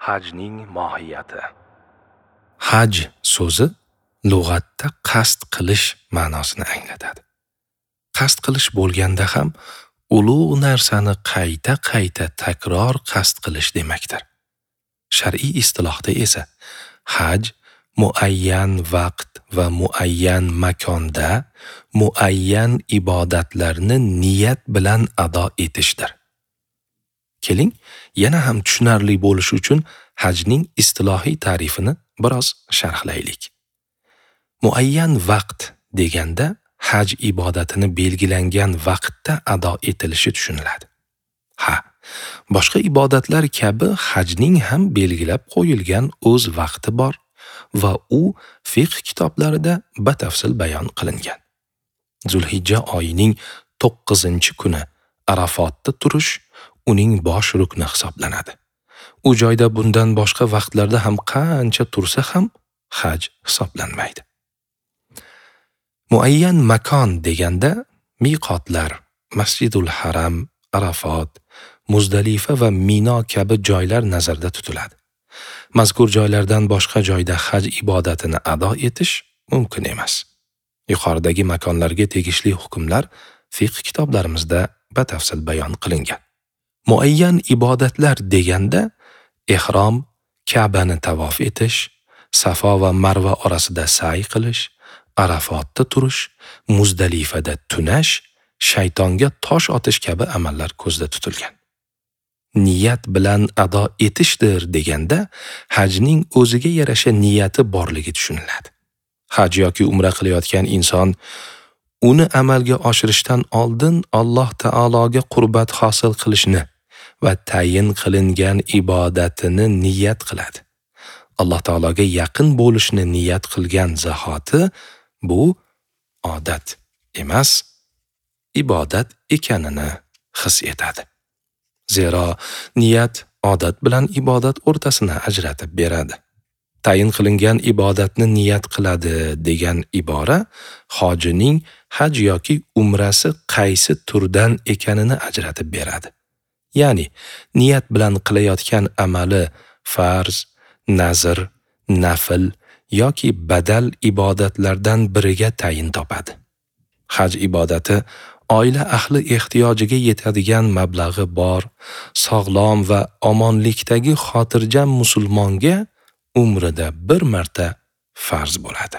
Hajning mohiyati. Haj so'zi lug'atda qasd qilish ma'nosini anglatadi. Qasd qilish bo'lganda ham ulug' narsani qayta-qayta takror qasd qilish demakdir. Shar'iy istilohda esa haj muayyan vaqt va muayyan makonda muayyan ibodatlarni niyat bilan ado etishdir. Keling, yana ham tushunarli bo'lishi uchun hajning istilohiy ta'rifini biroz sharhlaylik. Muayyan vaqt deganda haj ibodatini belgilangan vaqtda ado etilishi tushuniladi. Ha, boshqa ibodatlar kabi hajning ham belgilab qo'yilgan o'z vaqti bor va u fiqh kitoblarida batafsil bayon qilingan. Zulhijja oyining 9-kuni Arafotda turish uning bosh rukni hisoblanadi. U joyda bundan boshqa vaqtlarda ham qancha tursa ham haj hisoblanmaydi. Muayyan makon deganda miqotlar, Masjidul Haram, Arafot, Muzdalifa va Mino kabi joylar nazarda tutiladi. Mazkur joylardan boshqa joyda haj ibodatini ado etish mumkin emas. Yuqoridagi makonlarga tegishli hukmlar fiqh kitoblarimizda batafsil bayon qilingan. Muayyan ibodatlar deganda ihrom, Ka'bani tavof etish, Safo va Marva orasida sa'y qilish, Arafotda turish, Muzdalifada tunash, shaytonga tosh otish kabi amallar ko'zda tutilgan. Niyat bilan ado etishdir deganda hajning o'ziga yarasha niyati borligi tushuniladi. Haj yoki umra qilayotgan inson uni amalga oshirishdan oldin Alloh taologa qurbat hosil qilishni va tayin qilingan ibodatini niyat qiladi. Alloh taologa yaqin bo'lishni niyat qilgan zahoti bu odat emas, ibodat ekanini his etadi. Zero niyat odat bilan ibodat o'rtasini ajratib beradi. Tayin qilingan ibodatni niyat qiladi degan ibora hojining haj yoki umrasi qaysi turdan ekanini ajratib beradi. Ya'ni niyat bilan qilayotgan amali farz, nazr, nafl yoki badal ibodatlardan biriga tayin topadi. Haj ibodati oila ahli ehtiyojiga yetadigan mablag'i bor, sog'lom va omonlikdagi xotirjam musulmonga umrida bir marta farz bo'ladi.